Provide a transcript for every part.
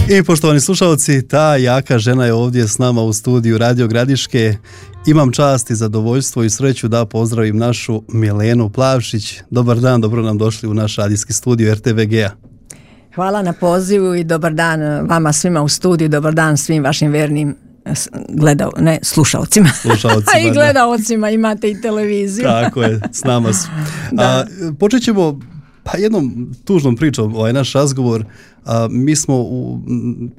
I poštovani slušalci, ta jaka žena je ovdje s nama u studiju Radio Gradiške. Imam čast i zadovoljstvo i sreću da pozdravim našu Milenu Plavšić. Dobar dan, dobro nam došli u naš radijski studio RTVG-a. Hvala na pozivu i dobar dan vama svima u studiju, dobar dan svim vašim vernim slušalcima. A i gledaocima, imate i televiziju. Tako je, s nama su. Počet ćemo jednom tužnom pričom, naš razgovor. Mi smo u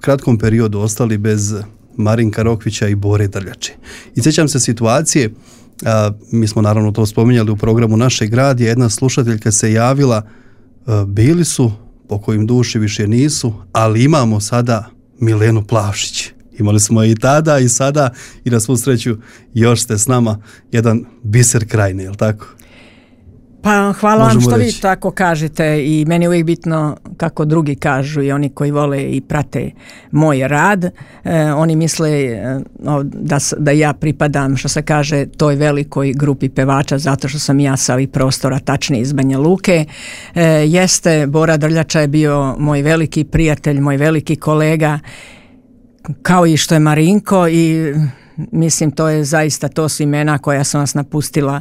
kratkom periodu ostali bez Marinka Rokvića i Bore Drljače. I sjećam se situacije, mi smo naravno to spominjali u programu Našeg radija, jedna slušateljka se javila, bili su, po kojim duši više nisu, ali imamo sada Milenu Plavšić. Imali smo i tada i sada i na svu sreću još ste s nama, jedan biser krajine, je li tako? Pa hvala Možemo vam što reći. vi tako kažete i meni je uvijek bitno kako drugi kažu i oni koji vole i prate moj rad. Oni misle da ja pripadam, što se kaže, toj velikoj grupi pevača zato što sam ja sa ovih prostora, tačnije iz Banja Luke. Jeste, Bora Drljača je bio moj veliki prijatelj, moj veliki kolega, kao i što je Marinko, i mislim to je zaista, to su imena koja sam vas napustila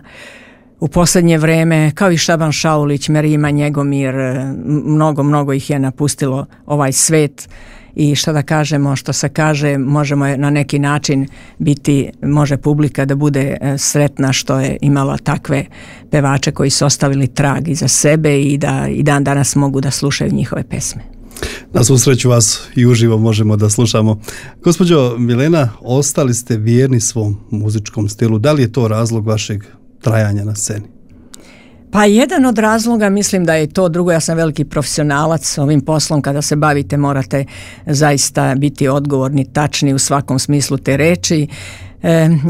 u posljednje vrijeme, kao i Šaban Šaulić, Merima Njegomir, mnogo ih je napustilo ovaj svet. I što da kažemo, što se kaže, možemo na neki način biti, može publika da bude sretna što je imala takve pevače koji su ostavili trag iza sebe i da i dan danas mogu da slušaju njihove pesme. Na svu sreću vas i uživo možemo da slušamo. Gospođo Milena, ostali ste vjerni svom muzičkom stilu. Da li je to razlog vašeg trajanja na sceni? Pa jedan od razloga, mislim da je to, drugo, ja sam veliki profesionalac ovim poslom, kada se bavite morate zaista biti odgovorni, tačni u svakom smislu te reči.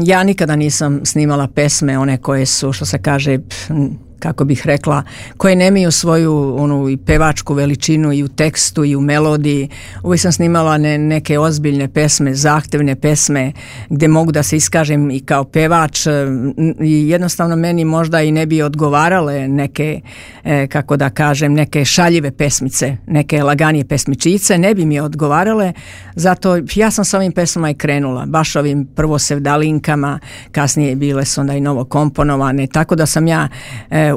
Ja nikada nisam snimala pesme, one koje su, što se kaže, kako bih rekla, koje nemaju svoju i pevačku veličinu i u tekstu i u melodiji. Uvijek sam snimala neke ozbiljne pesme, zahtevne pesme gdje mogu da se iskažem i kao pevač, i jednostavno meni možda i ne bi odgovarale neke, kako da kažem, neke šaljive pesmice, neke laganije pesmičice, ne bi mi odgovarale, zato ja sam sa ovim pesmama i krenula, baš ovim prvo sevdalinkama, kasnije bile su onda i novo komponovane, tako da sam ja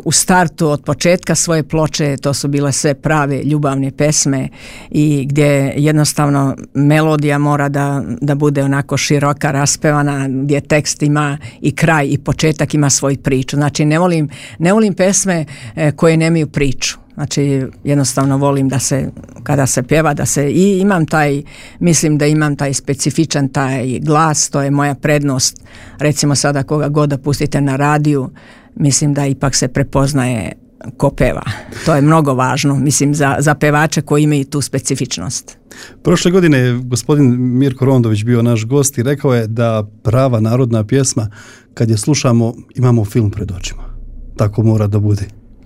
u startu od početka svoje ploče, to su bile sve prave ljubavne pesme i gdje jednostavno melodija mora da bude onako široka, raspevana, gdje tekst ima i kraj i početak ima svoju priču. Znači ne volim pesme koje nemaju priču. Znači jednostavno volim da se, kada se pjeva, da se, i imam taj, mislim da imam taj specifičan taj glas, to je moja prednost. Recimo sada koga god da pustite na radiju, mislim da ipak se prepoznaje ko peva. To je mnogo važno, mislim, za pevače koji imaju tu specifičnost. Prošle godine je gospodin Mirko Rondović bio naš gost i rekao je da prava narodna pjesma, kad je slušamo, imamo film pred očima. Tako mora da bude.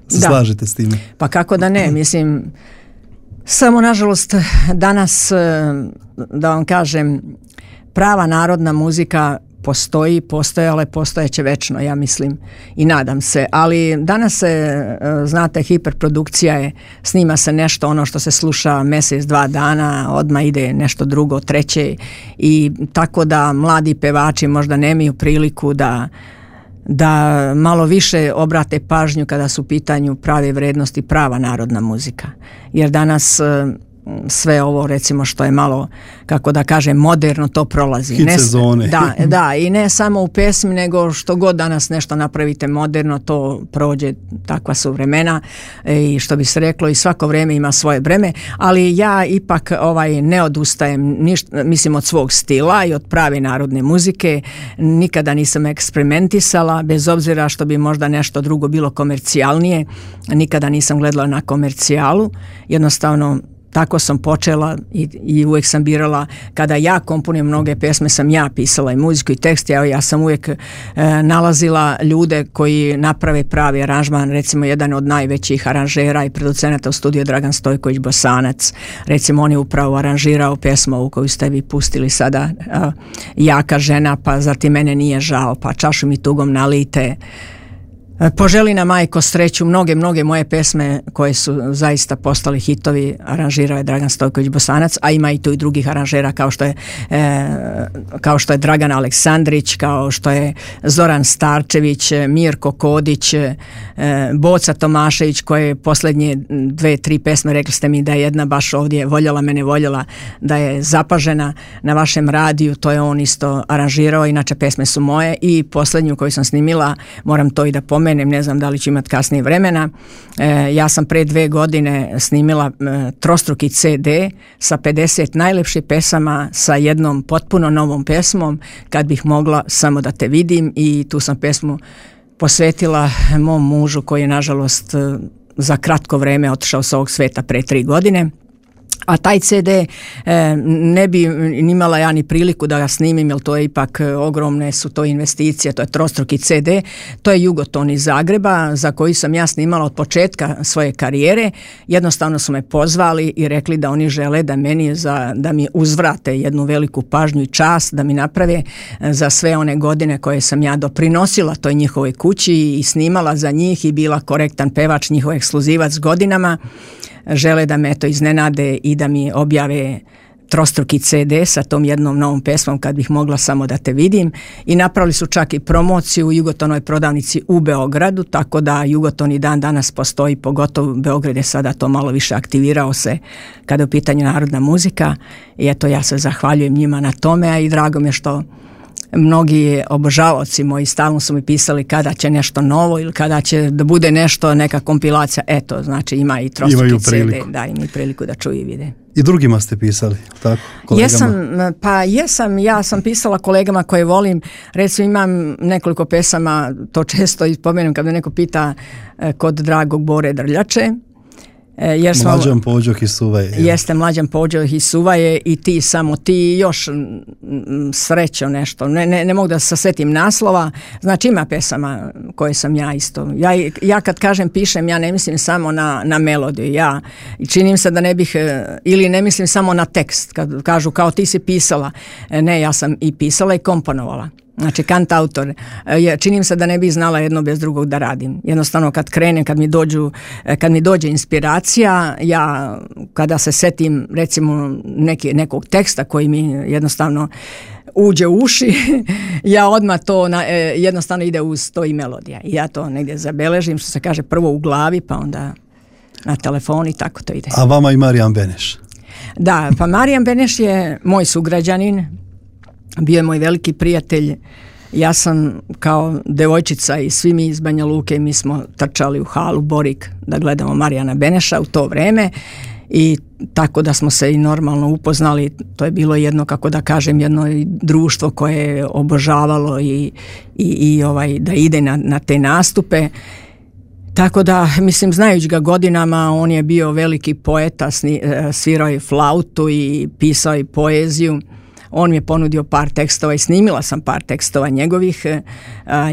Slažete s time? Pa kako da ne, mislim, samo nažalost danas, da vam kažem, prava narodna muzika postojala i postojeće večno, ja mislim i nadam se, ali danas se, znate, hiperprodukcija je, snima se nešto ono što se sluša mjesec, 2 dana, odmah ide nešto drugo, treće, i tako da mladi pevači možda nemaju priliku da malo više obrate pažnju kada su u pitanju prave vrednosti, prava narodna muzika. Jer danas sve ovo, recimo, što je malo, kako da kažem, moderno, to prolazi. Hit sezone. Da, i ne samo u pesmi, nego što god danas nešto napravite moderno, to prođe, takva su vremena, i što bi se reklo, i svako vrijeme ima svoje vreme, ali ja ipak ne odustajem mislim od svog stila i od prave narodne muzike. Nikada nisam eksperimentisala, bez obzira što bi možda nešto drugo bilo komercijalnije, nikada nisam gledala na komercijalu, jednostavno tako sam počela i uvijek sam birala, kada ja komponujem mnoge pesme, sam ja pisala i muziku i tekst, ja sam uvijek nalazila ljude koji naprave pravi aranžman. Recimo jedan od najvećih aranžera i producenata u studiju Dragan Stojković Bosanac, recimo on je upravo aranžirao pesmu koju ste vi pustili sada, Jaka žena, pa zatim Mene nije žao, pa Čašu mi tugom nalijte, Poželi nam majko sreću, mnoge moje pesme koje su zaista postali hitovi aranžirao je Dragan Stojković Bosanac, a ima i tu i drugih aranžera kao što je Dragan Aleksandrić, kao što je Zoran Starčević, Mirko Kodić, Boca Tomašević, koje posljednje 2-3 pesme, rekli ste mi da je jedna baš ovdje Voljela mene voljela, da je zapažena na vašem radiju, to je on isto aranžirao, inače pesme su moje, i posljednju koju sam snimila, moram to i da pomenem, ne znam da li ću imati kasnije vremena, ja sam pre 2 godine snimila trostruki CD sa 50 najlepših pesama, sa jednom potpuno novom pesmom, Kad bih mogla samo da te vidim, i tu sam pesmu posvetila mom mužu koji je nažalost za kratko vreme otišao s ovog sveta pre 3 godine. A taj CD ne bi imala ja ni priliku da ga snimim, jer to je ipak ogromne su to investicije, to je trostruki CD, to je Jugoton iz Zagreba za koji sam ja snimala od početka svoje karijere. Jednostavno su me pozvali i rekli da oni žele da mi uzvrate jednu veliku pažnju i čast, da mi naprave za sve one godine koje sam ja doprinosila toj njihovoj kući i snimala za njih i bila korektan pevač, njihov ekskluzivac godinama. Žele da me to iznenade i da mi objave trostruki CD sa tom jednom novom pesmom Kad bih mogla samo da te vidim, i napravili su čak i promociju u Jugotonoj prodavnici u Beogradu, tako da Jugoton i dan danas postoji, pogotovo Beograd je sada to malo više aktivirao se kada je u pitanju narodna muzika, i eto ja se zahvaljujem njima na tome, a i drago mi je što mnogi obožavaoci moji stalno su mi pisali kada će nešto novo ili kada će da bude nešto, neka kompilacija. Eto, znači ima i trostruki CD, da, ima i priliku da čuju i vide. I drugima ste pisali, tako? Ja sam pisala kolegama koje volim, recimo imam nekoliko pesama, to često ispomenem kad me neko pita, kod dragog Bore Drljače. Mlađan Pođoh iz Suvaje. Jeste, Mlađan Pođoh iz Suvaje i ti, samo ti, još srećo nešto, ne mogu da se setim naslova, znači ima pesama koje sam ja isto, ja kad kažem pišem, ja ne mislim samo na melodiju, ja činim se da ne bih, ili ne mislim samo na tekst, kad kažu kao ti si pisala, ne, ja sam i pisala i komponovala. Znači kantautor, činim se da ne bi znala jedno bez drugog da radim. Jednostavno kad krenem, kad mi dođe inspiracija, ja kada se setim recimo nekog teksta koji mi jednostavno uđe u uši, ja odmah to jednostavno ide uz to i melodija. I ja to negdje zabeležim, što se kaže, prvo u glavi, pa onda na telefon i tako to ide. A vama i Marijan Beneš? Da, pa Marijan Beneš je moj sugrađanin, bio je moj veliki prijatelj. Ja sam kao devojčica i svi mi iz Banja Luke, mi smo trčali u halu Borik da gledamo Marijana Beneša u to vreme, i tako da smo se i normalno upoznali. To je bilo jedno, kako da kažem, jedno društvo koje je obožavalo i da ide na te nastupe. Tako da, mislim, znajući ga godinama, on je bio veliki poeta, svirao je flautu i pisao i poeziju. On mi je ponudio par tekstova i snimila sam par tekstova njegovih.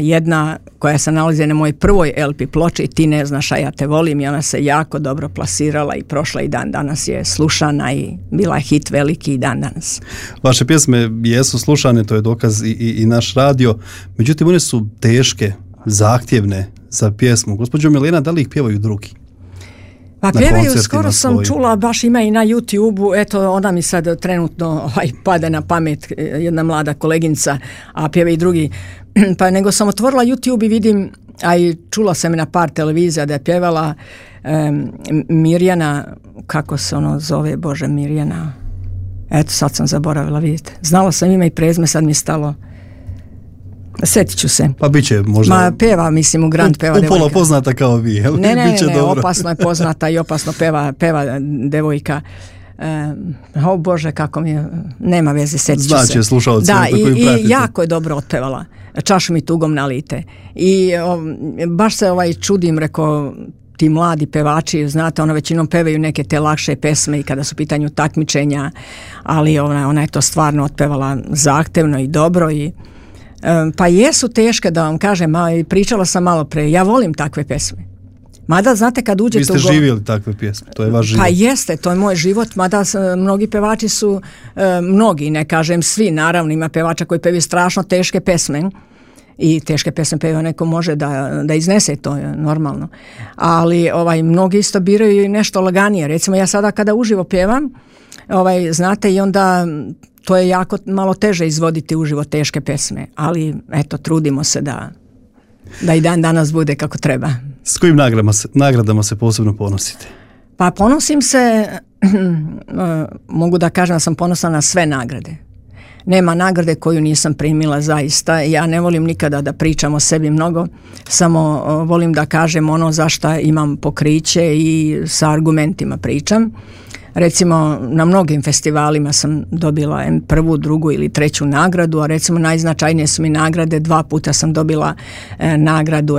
Jedna koja se nalazi na mojoj prvoj LP ploči, Ti ne znaš, a ja te volim, i ona se jako dobro plasirala i prošla i dan danas je slušana i bila je hit veliki i dan danas. Vaše pjesme jesu slušane, to je dokaz i naš radio, međutim one su teške, zahtjevne za pjesmu. Gospođo Milena, da li ih pjevaju drugi? Pa pjevaju, skoro sam čula, baš ima i na YouTube-u, eto ona mi sad trenutno pada na pamet, jedna mlada koleginca, a pjeva i drugi, pa nego sam otvorila YouTube i vidim, a i čula sam na par televizija da je pjevala Mirjana, kako se ono zove, Bože, Mirjana, eto sad sam zaboravila, vidite, znala sam ime i prezme, sad mi stalo. Sjetit ću se. Pa bit će možda... Ma peva, mislim, u Grand peva devojka. Upola poznata kao vi, jel? Ne, opasno je poznata i opasno peva devojka. Bože, kako mi je, nema veze, sjetit ću se. Znači, slušalci. Da, i jako je dobro otpevala. Čašu mi tugom nalite. I baš se čudim, rekao, ti mladi pevači, znate, ono većinom pevaju neke te lakše pesme i kada su u pitanju takmičenja, ali ona je to stvarno otpevala zahtevno i dobro i pa jesu teške, da vam kažem, pričala sam malo pre, ja volim takve pesme. Mada, znate, kad uđete vi ste živjeli takve pjesme, to je vaš život. Pa jeste, to je moj život, mada mnogi pevači su, mnogi, ne kažem svi, naravno, ima pevača koji pevaju strašno teške pesme, i teške pesme peva, neko može da iznese, to je normalno. Ali mnogi isto biraju nešto laganije. Recimo ja sada kada uživo pevam, znate, i onda to je jako malo teže izvoditi uživo teške pesme, ali eto, trudimo se da i dan danas bude kako treba. S kojim nagradama se posebno ponosite? Pa ponosim se, mogu da kažem da sam ponosna na sve nagrade. Nema nagrade koju nisam primila zaista. Ja ne volim nikada da pričam o sebi mnogo, samo volim da kažem ono za šta imam pokriće i sa argumentima pričam. Recimo, na mnogim festivalima sam dobila prvu, drugu ili treću nagradu, a recimo najznačajnije su mi nagrade. 2 puta sam dobila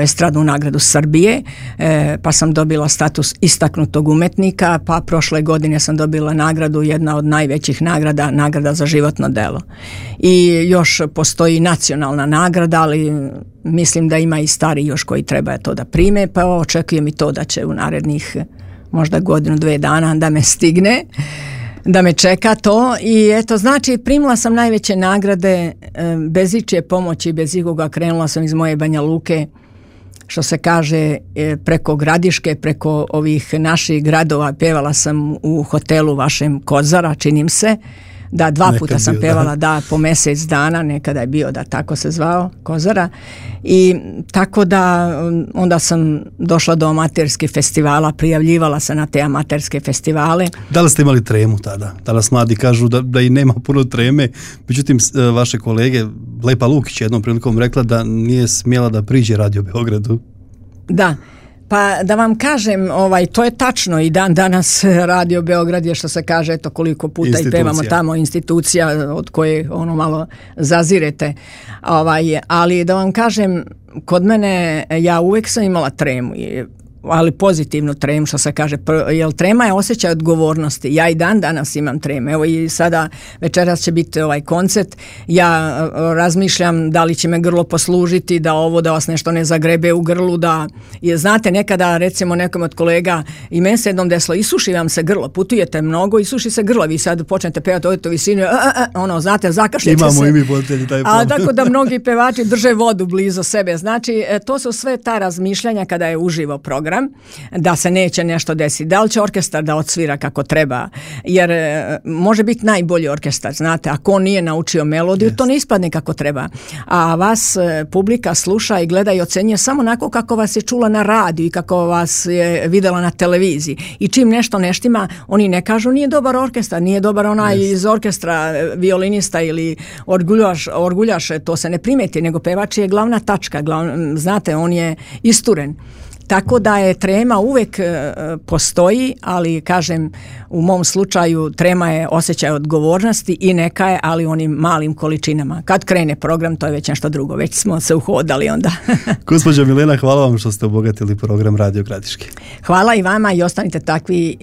estradnu nagradu Srbije, pa sam dobila status istaknutog umetnika, pa prošle godine sam dobila nagradu, jedna od najvećih nagrada za životno delo. I još postoji nacionalna nagrada, ali mislim da ima i stari još koji treba to da prime, pa očekujem i to da će u narednih možda 1-2 dana da me stigne, da me čeka to. I eto, znači, primila sam najveće nagrade bez ičije pomoći, bez ikoga. Krenula sam iz moje Banja Luke, što se kaže, preko Gradiške, preko ovih naših gradova. Pevala sam u hotelu vašem Kozara, činim se. Da, 2 puta sam pevala, po mjesec dana, nekada je bio da tako se zvao, Kozara. I tako da onda sam došla do amaterskih festivala, prijavljivala se na te amaterske festivale. Da li ste imali tremu tada? Danas mladi kažu da i nema puno treme, međutim vaše kolege, Lepa Lukić jednom prilikom rekla da nije smjela da priđe Radio Beogradu. Da. Pa da vam kažem, to je tačno, i dan danas Radio Beograd je, što se kaže, eto koliko puta i pevamo tamo, institucija od koje malo zazirete. Ali da vam kažem, kod mene ja uvijek sam imala tremu, ali pozitivnu tremu, što se kaže, jer trema je osjećaj odgovornosti. Ja i dan danas imam treme. Evo i sada večeras će biti koncert. Ja razmišljam da li će me grlo poslužiti, da vas nešto ne zagrebe u grlu, znate, nekada recimo nekom od kolega i meni se jednom desilo, isuši vam se grlo, putujete mnogo, isuši se grlo, vi sad počnete pevati ovdje visinu, znate, zakašljete se. Imamo i mi voditelji taj problem. A tako da mnogi pevači drže vodu blizu sebe. Znači, to su sve ta razmišljanja kada je uživo program, da se neće nešto desiti. Da li će orkestar da odsvira kako treba? Jer može biti najbolji orkestar, znate, ako on nije naučio melodiju, to ne ispadne kako treba. A vas publika sluša i gleda i ocenjuje samo onako kako vas je čula na radiju i kako vas je videla na televiziji. I čim nešto neštima, oni ne kažu nije dobar orkestar, nije dobar onaj iz orkestra, violinista ili orguljaš, to se ne primeti, nego pevač je glavna tačka, znate, on je isturen. Tako da je trema uvijek postoji, ali kažem, u mom slučaju trema je osjećaj odgovornosti i neka je, ali u onim malim količinama. Kad krene program, to je već nešto drugo, već smo se uhodali onda. Gospođo Milena, hvala vam što ste obogatili program Radio Gradiške. Hvala i vama i ostanite takvi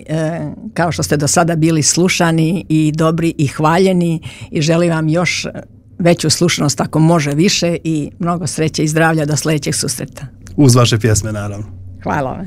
kao što ste do sada bili slušani i dobri i hvaljeni i želim vam još veću slušanost ako može više i mnogo sreće i zdravlja do sljedećeg susreta. Uz vaše pjesme, naravno. Hvala vam.